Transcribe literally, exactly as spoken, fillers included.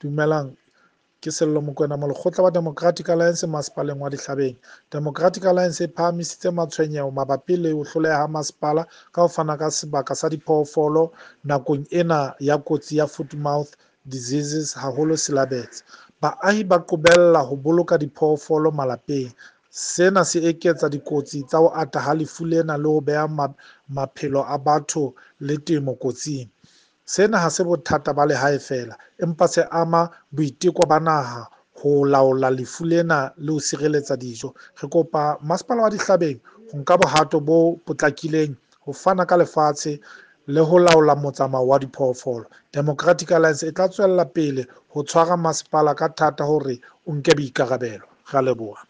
Dumelang, ke Sello Mokoena, molekgotla wa Democratic Alliance masepaleng wa Dihlabeng. Democratic Alliance e phahamisitse matshwenyeho mabapi le ho hloleha ha masepala ka ho fana ka sebaka sa diphoofolo nakong ena ya kotsi ya foot mouth diseases, haholo silabetse. Baahi ba qobella ho boloka diphoofolo malapeng. Sena se eketsa dikotsi tsa ho ata ha lefu lena le ho beha maphelo a batho le temo kotsing. Sena ha se bothata ba lehae feela, empa se ama boiteko ba naha ho laola lefu lena le ho sireletsa dijo. Re kopa masepala wa Dihlabeng ho nka bohato bo potlakileng ho fana ka lefatshe le ho laola motsamao wa diphoofolo. Democratic Alliance e tla tswella pele ho tshwara masepala ka thata hore o nke boikarabelo. Re a leboha.